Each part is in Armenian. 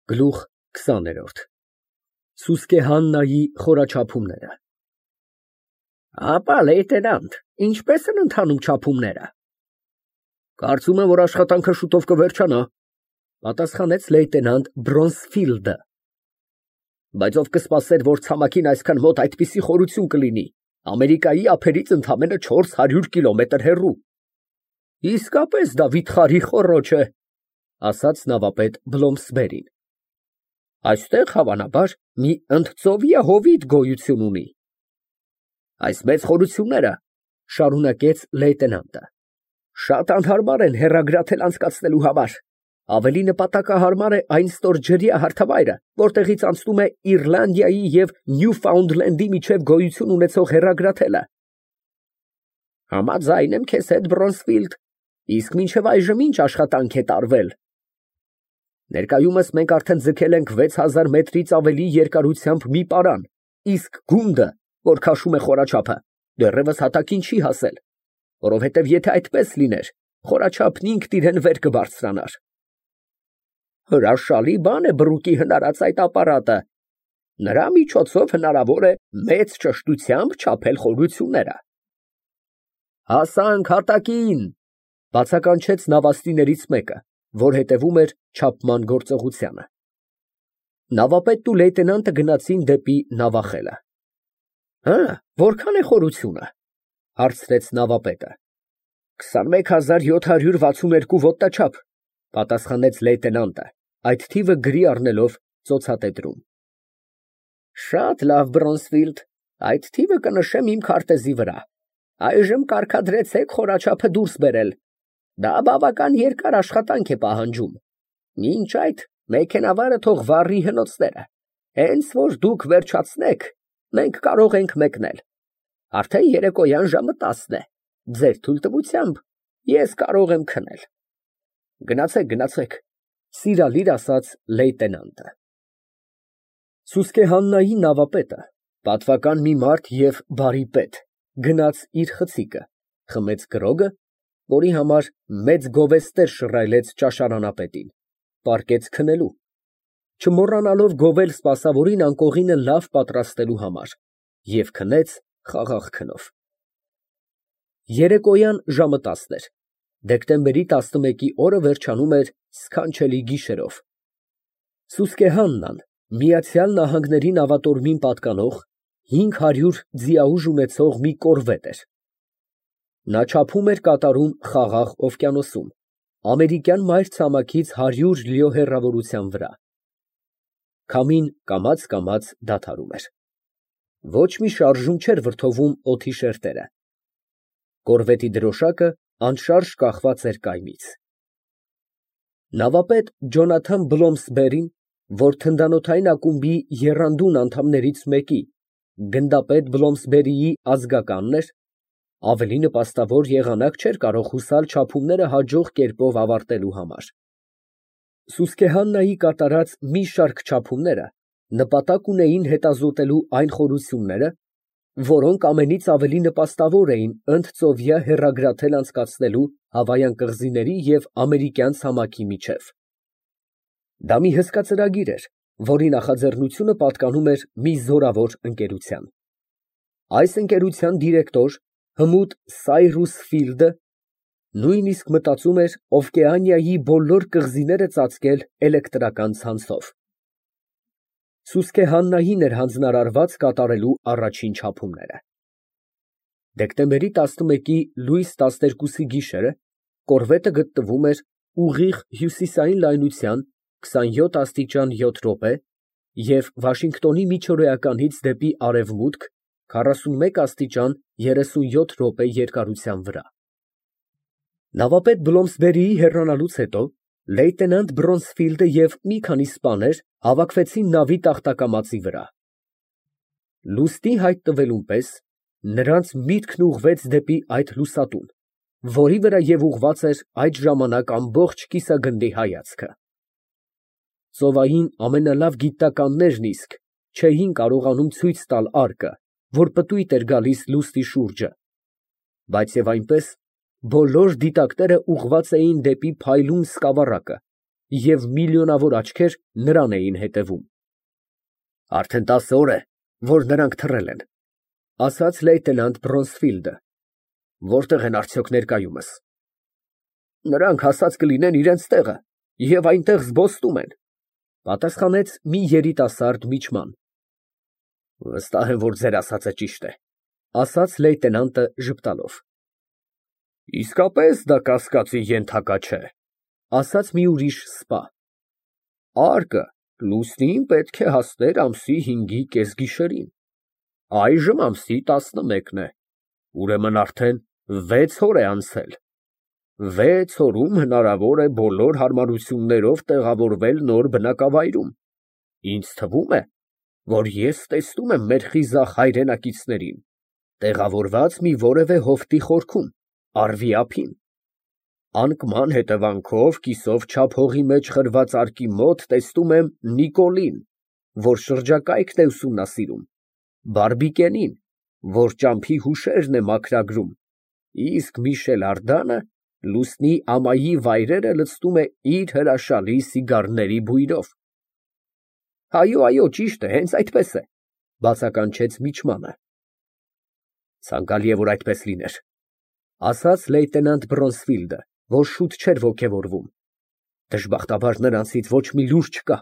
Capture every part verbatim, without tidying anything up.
Գլուխ քսաներորդ Սուսկե Հաննայի խորաչափումները Ապա, լեյտենանտ, ինչպե՞ս են ընթանում չափումները։ Կարծում եմ, որ աշխատանքը շուտով կվերջանա, պատասխանեց լեյտենանտ Բրոնզֆիլդը։ Բայց ով կսպասեր, որ ցամաքին այսքան մոտ այդպիսի խորություն կլինի, Ամերիկայի ափերից ընդամենը չորս հարյուր կիլոմետր հեռու։ Իսկապես դա վիթխարի խոռոչ է, ասաց նավապետ Բլոմսբերին։ Այստեղ, հավանաբար, մի ընդծովյա հովիտ գոյություն ունի։ Այս մեծ խորությունները, շարունակեց լեյտենանտը, շատ անհարմար են հեռագրաթել անցկացնելու համար, ավելի նպատակահարմար է այն ստորջրյա հարթավայրը, որտեղից անցնում է Իռլանդիայի և Նյուֆաունդլենդի միջև գոյություն ունեցող հեռագրաթելը։ Համաձայն եմ քեզ հետ, Բրոնզֆիլդ, իսկ մինչև այժմ ինչ աշխատանք է տարվել։ Ներկայումս մենք արդեն ձգել ենք վեց հազար մետրից ավելի երկարությամբ մի պարան, իսկ գունդը, որ քաշում է խորաչափը, դեռևս հատակին չի հասել, որովհետև եթե այդպես լիներ, խորաչափն ինքն իրեն վեր կբարձրանար։ Հրաշալի բան է բռուկի հնարած այդ ապարատը։ Նրա միջոցով հնարավոր է մեծ ճշտությամբ չափել խորությունները։ Հասանք հատակին, բացականչեց նավաստիներից մեկը, որ հետևում էր չափման գործողությանը։ Նավապետն ու լեյտենանտը գնացին դեպի նավախելը։ Հը, որքան է խորությունը, հարցրեց նավապետը։ Քսանմեկ հազար յոթ հարյուր վաթսուն երկու ոտնաչափ, պատասխանեց լեյտենանտը, այդ թիվը գրի առնելով ծոցատետրում։ Շատ լավ, Բրոնզֆիլդ, այդ թիվը կնշեմ իմ քարտեզի վրա։ Այժմ կարգադրեցեք խորաչափը դուրս բերել։ Դա բավական երկար աշխատանք է պահանջում։ Մինչ այդ մեքենավարը թող վառի հնոցները։ Հենց որ դուք վերջացնեք, մենք կարող ենք մեկնել։ Արդեն երեկոյան ժամը տասն է։ Ձեր թույլտվությամբ ես կարող եմ քնել։ Գնացեք, գնացեք, սիրալիր ասաց լեյտենանտը։ Սուսկե Հաննայի նավապետը, պատվական մի մարդ և բարի պետ, գնաց իր խցիկը, խմեց գրոգը, որի համար մեծ գովեստեր շռայլեց ճաշարանապետին, պառկեց քնելու, չմոռանալով գովել սպասավորին անկողինը լավ պատրաստելու համար, և քնեց խաղաղ քնով։ Երեկոյան ժամը տասն էր, դեկտեմբերի տասնմեկի օրը վերջանում էր սքանչելի գիշերով։ Սուսկե Հաննան Միացյալ Նահանգների նավատորմին պատկանող հինգ հարյուր ձիաուժ ունեցող մի կորվետ էր։ Նա չափում էր կատարում Խաղաղ օվկիանոսում, ամերիկյան մայրցամաքից հարյուր լիո հեռավորության վրա։ Քամին կամաց֊կամաց դադարում էր։ Ոչ մի շարժում չէր վրդովում օդի շերտերը։ Կորվետի դրոշակը անշարժ կախված էր կայմից։ Նավապետ Ջոնաթան Բլոմսբերին, որ թնդանոթային ակումբի եռանդուն անդամներից մեկի, գնդապետ Բլոմսբերիի ազգականն էր, ավելի նպաստավոր եղանակ չէր կարող հուսալ չափումները հաջող կերպով ավարտելու համար։ Սուսկե Հաննայի կատարած մի շարք չափումները նպատակ ունեին հետազոտելու այն խորությունները, որոնք ամենից ավելի նպաստավոր էին ընդծովյա հեռագրաթել անցկացնելու Հավայան կղզիների և ամերիկյան ցամաքի միջև։ Դա մի հսկա ծրագիր էր, որի նախաձեռնությունը պատկանում էր մի զորավոր ընկերության։ Այս ընկերության դիրեկտոր հմուտ Սայրուս Ֆիլդը նույնիսկ մտածում էր Օվկիանիայի բոլոր կղզիները ծածկել էլեկտրական ցանցով։ Սուսկե Հաննային էր հանձնարարված կատարելու առաջին չափումները։ Դեկտեմբերի տասնմեկի լույս տասներկուսի գիշերը կորվետը գտնվում էր ուղիղ հյուսիսային լայնության քսանյոթ աստիճան յոթ րոպե և Վաշինգտոնի միջօրեականից դեպի արևմուտք քառասունմեկ աստիճան երեսունյոթ րոպե երկարության վրա։ Նավապետ Բլոմսբերիի հեռանալուց հետո լեյտենանտ Բրոնզֆիլդը և մի քանի սպաներ հավաքվեցին նավի տախտակամածի վրա։ Լուսնի հայտնվելուն պես նրանց միտքն ուղղվեց դեպի այդ լուսատուն, որի վրա և ուղղված էր այդ ժամանակ ամբողջ կիսագնդի հայացքը։ Ծովային ամենալավ գիտնականներն իսկ չէին կարողանում ցույց տալ արկը, որ պտույտ էր գալիս լուսնի շուրջը, բայց և այնպես բոլոր դիտակները ուղղված էին դեպի փայլուն սկավառակը, և միլիոնավոր աչքեր նրան էին հետևում։ Արդեն տասը օր է, որ նրանք թռել են, ասաց լեյտենանտ Բրոնսֆիլդը։ Որտե՞ղ են արդյոք ներկայումս։ Նրանք հասած կլինեն իրենց տեղը և այնտեղ զբոսնում են, պատասխանեց մի երիտասարդ միջման։ Վստահ եմ, որ ձեր ասածը ճիշտ է, ասաց լեյտենանտը ժպտալով։ Իսկապես դա կասկածի ենթակա չէ, ասաց մի ուրիշ սպա։ Արկը լուսնին պետք է հասներ ամսի հինգի կեսգիշերին, այժմ ամսի տասնմեկն է, ուրեմն արդեն վեց օր է անցել։ Վեց օրում հնարավոր է բոլոր հարմարություններով տեղավորվել նոր բնակավայրում։ Ինձ թվում է, որ ես տեսնում եմ մեր խիզախ հայրենակիցներին, տեղավորված մի որևէ հովտի խորքում, առվի ափին։ Անկման հետևանքով կիսով չափ հողի մեջ խրված արկի մոտ տեսնում եմ Նիկոլին, որ շրջակայքն է ուսումնասիրում, Բարբիկենին, որ ճամփի հուշերն է մաքրագրում, իսկ Միշել Ардանը լուսնի ամայի վայրերը լցնում է իր հրաշալի սիգարների բույրով։ Այո, այո, ճիշտ է, հենց այդպես է, բացականչեց միջմանը։ Ցանկալի է, որ այդպես լիներ, ասաց լեյտենանտ Բրոնսֆիլդը, որ շուտ չէր ոգևորվում։ Դժբախտաբար նրանցից ոչ մի լուր չկա։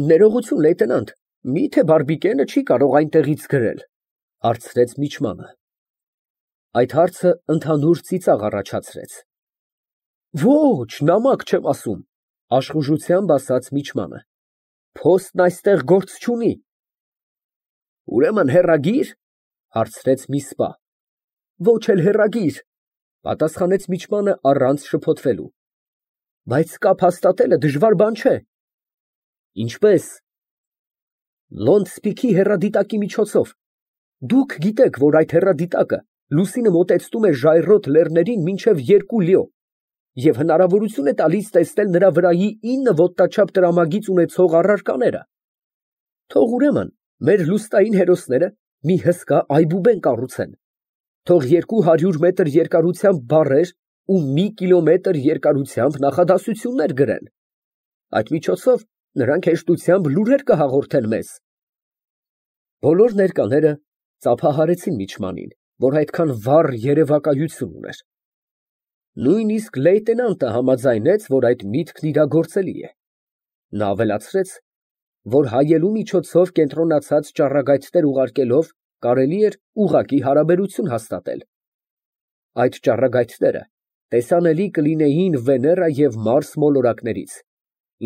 Ներողություն, լեյտենանտ, մի՞թե Բարբիկենը չի կարող այնտեղից գրել, հարցրեց միջմանը։ Այդ հարցը ընդհանուր ծիծաղ առաջացրեց։ Ոչ, նամակ չեմ ասում, աշխուժությամբ ասաց միջմանը։ Փոստն այստեղ գործ չունի։ Ուրեմն հեռագի՞ր, հարցրեց մի սպա։ Ոչ էլ հեռագիր, պատասխանեց միջմանը առանց շփոթվելու։ Բայց կապ հաստատելը դժվար բան չէ։ Ինչպես։ Լոնդսպիքի հեռադիտակի միջոցով։ Դուք գիտեք, որ այդ հեռադիտակը լուսինը մոտեցնում է ժայռոտ լեռներին մինչև երկու լիո և հնարավորություն է տալիս տեսնել նրա վրայի ինը ոտնաչափ տրամագիծ ունեցող առարկաները։ Թող ուրեմն մեր լուսնային հերոսները մի հսկա այբուբեն կառուցեն, թող երկու հարյուր մետր երկարությամբ բառեր ու մի կիլոմետր երկարությամբ նախադասություններ գրեն։ Այդ միջոցով նրանք հեշտությամբ լուրեր կհաղորդեն մեզ։ Բոլոր ներկաները ծափահարեցին միջմանին, որ այդքան վառ երևակայություն ուներ։ Նույնիսկ լեյտենանտը համաձայնեց, որ այդ միտքն իրագործելի է։ Նա ավելացրեց, որ հայելու միջոցով կենտրոնացած ճառագայթներ ուղարկելով կարելի էր ուղղակի հարաբերություն հաստատել։ Այդ ճառագայթները տեսանելի կլինեին Վեներա և Մարս մոլորակներից,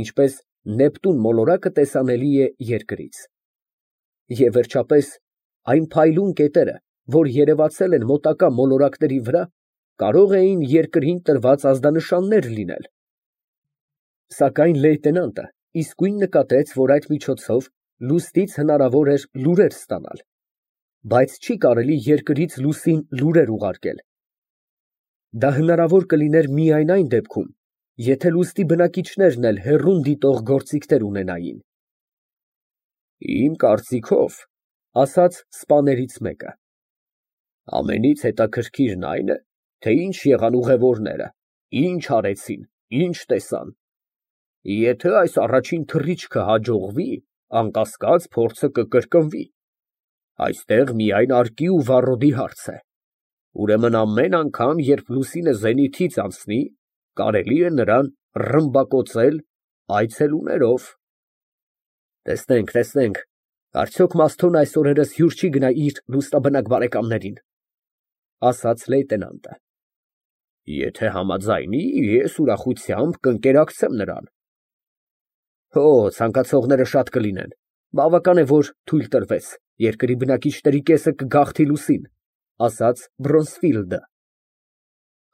ինչպես Նեպտուն մոլորակը տեսանելի է Երկրից։ Եվ վերջապես, այն փայլուն կետերը, որ երևացել են մոտակա մոլորակների վրա, կարող էին Երկրին տրված ազդանշաններ լինել։ Սակայն լեյտենանտը իսկույն նկատեց, որ այդ միջոցով լուսնից հնարավոր էր լուրեր ստանալ, բայց չի կարելի Երկրից լուսին լուրեր ուղարկել։ Դա հնարավոր կլիներ միայն այն դեպքում, եթե լուսնի բնակիչներն էլ հեռուն դիտող գործիքներ ունենային։ Իմ կարծիքով, ասաց սպաներից մեկը, ամենից հետաքրքիրն այն է, թե ինչ եղան ուղևորները, ինչ արեցին, ինչ տեսան։ Եթե այս առաջին թռիչքը հաջողվի, անկասկած փորձը կկրկնվի։ Այստեղ միայն արկի ու վառոդի հարց է։ Ուրեմն ամեն անգամ, երբ լուսինը զենիթից անցնի, կարելի է նրան ռմբակոծել այցելուներով։ Տեսնենք, տեսնենք, արդյոք Մասթոն այս օրերս հյուր չի գնա իր լուսնաբնակ բարեկամներին, ասաց լեյտենանտը։ Եթե համաձայնի, ես ուրախությամբ կընկերակցեմ նրան։ Հո, ցանկացողները շատ կլինեն, բավական է, որ թույլ տրվեց, երկրի բնակիչների կեսը կգաղթի լուսին, ասաց Բրոնսֆիլդը։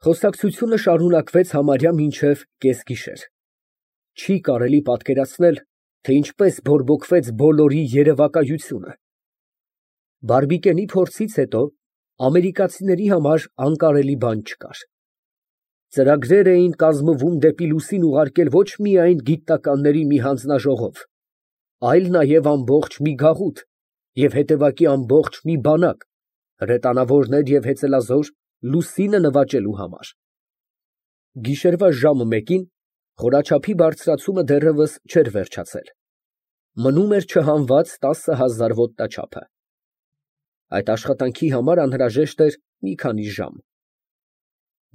Խոսակցությունը շարունակվեց համարյա մինչև կեսգիշեր։ Չի կարելի պատկերացնել, թե ինչպես բորբոքվեց բոլորի երևակայությունը։ Բարբիկենի փորձից հետո ամերիկացիների համար անկարելի բան չկար։ Ծրագրեր էին կազմվում դեպի լուսին ուղարկել ոչ միայն գիտնականների մի հանձնաժողով, այլ նաև ամբողջ մի գաղութ և հետևակի ամբողջ մի բանակ, հրետանավորներ և հեծելազոր լուսինը նվաճելու համար։ Գիշերվա ժամը մեկին Խորաչափի բարձրացումը դեռևս չէր վերջացել, մնում էր չհանված տասը հազար ոտնաչափը։ Այդ աշխատանքի համար անհրաժեշտ էր մի քանի ժամ։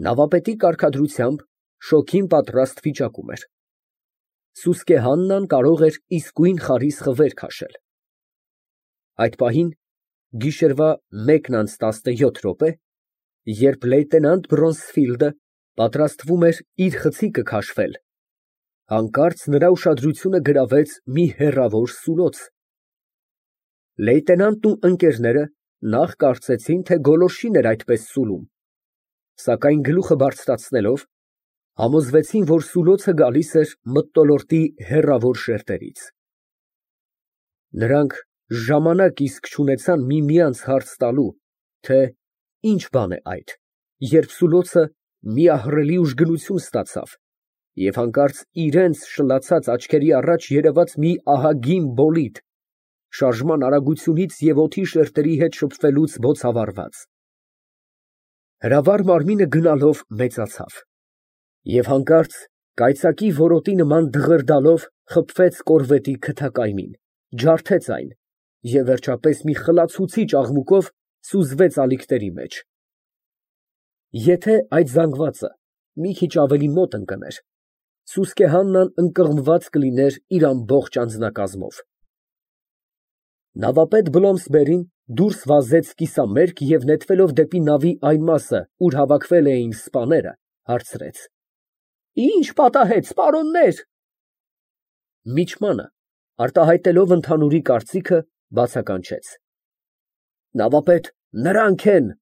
Նավապետի կարգադրությամբ շոգին պատրաստ վիճակում էր։ Սուսկե Հաննան կարող էր իսկույն խարիսխը վեր քաշել։ Այդ պահին, գիշերվա մեկն անց տասնյոթ րոպե, երբ լեյտենանտ Բռոնսֆիլդը պատրաստվում էր իր խցիկը քաշվել, հանկարծ նրա ուշադրությունը գրավեց մի հեռավոր սուլոց։ Լեյտենանտն ու ընկերները նախ կարծեցին, թե գոլորշին էր այդպես սուլում, սակայն գլուխը բարձրացնելով, համոզվեցին, որ սուլոցը գալիս էր մթնոլորտի հեռավոր շերտերից։ Նրանք ժամանակ իսկ չունեցան միմյանց հարց տալու, թե ինչ բան է այդ, երբ սուլոցը մի ահռելի ուժգնություն ստացավ և հանկարծ իրենց շլացած աչքերի առաջ երևաց մի ահագին բոլիդ, շարժման արագությունից և օդի շերտերի հետ շփվելուց բոցավառված։ Հրավառ մարմինը գնալով մեծացավ և հանկարծ կայծակի որոտի նման դղրդալով խփվեց կորվետի քթակայմին, ջարդեց այն և վերջապես մի խլացուցիչ աղմուկով սուզվեց ալիքների մեջ։ Եթե այդ զանգվածը մի քիչ ավելի մոտ ընկներ, Սուսկե Հաննան ընկղմված կլիներ իր ամբողջ անձնակազմով։ Նավապետ Բլոմսբերին դուրս վազեց կիսամերկ և նետվելով դեպի նավի այն մասը, ուր հավաքվել էին սպաները, հարցրեց. «Ի՞նչ պատահեց, պարոննե՞ր»։ Միջմանը, արտահայտելով ընդհանուրի կարծիքը, բացականչեց. «Նավապետ, նրանք են։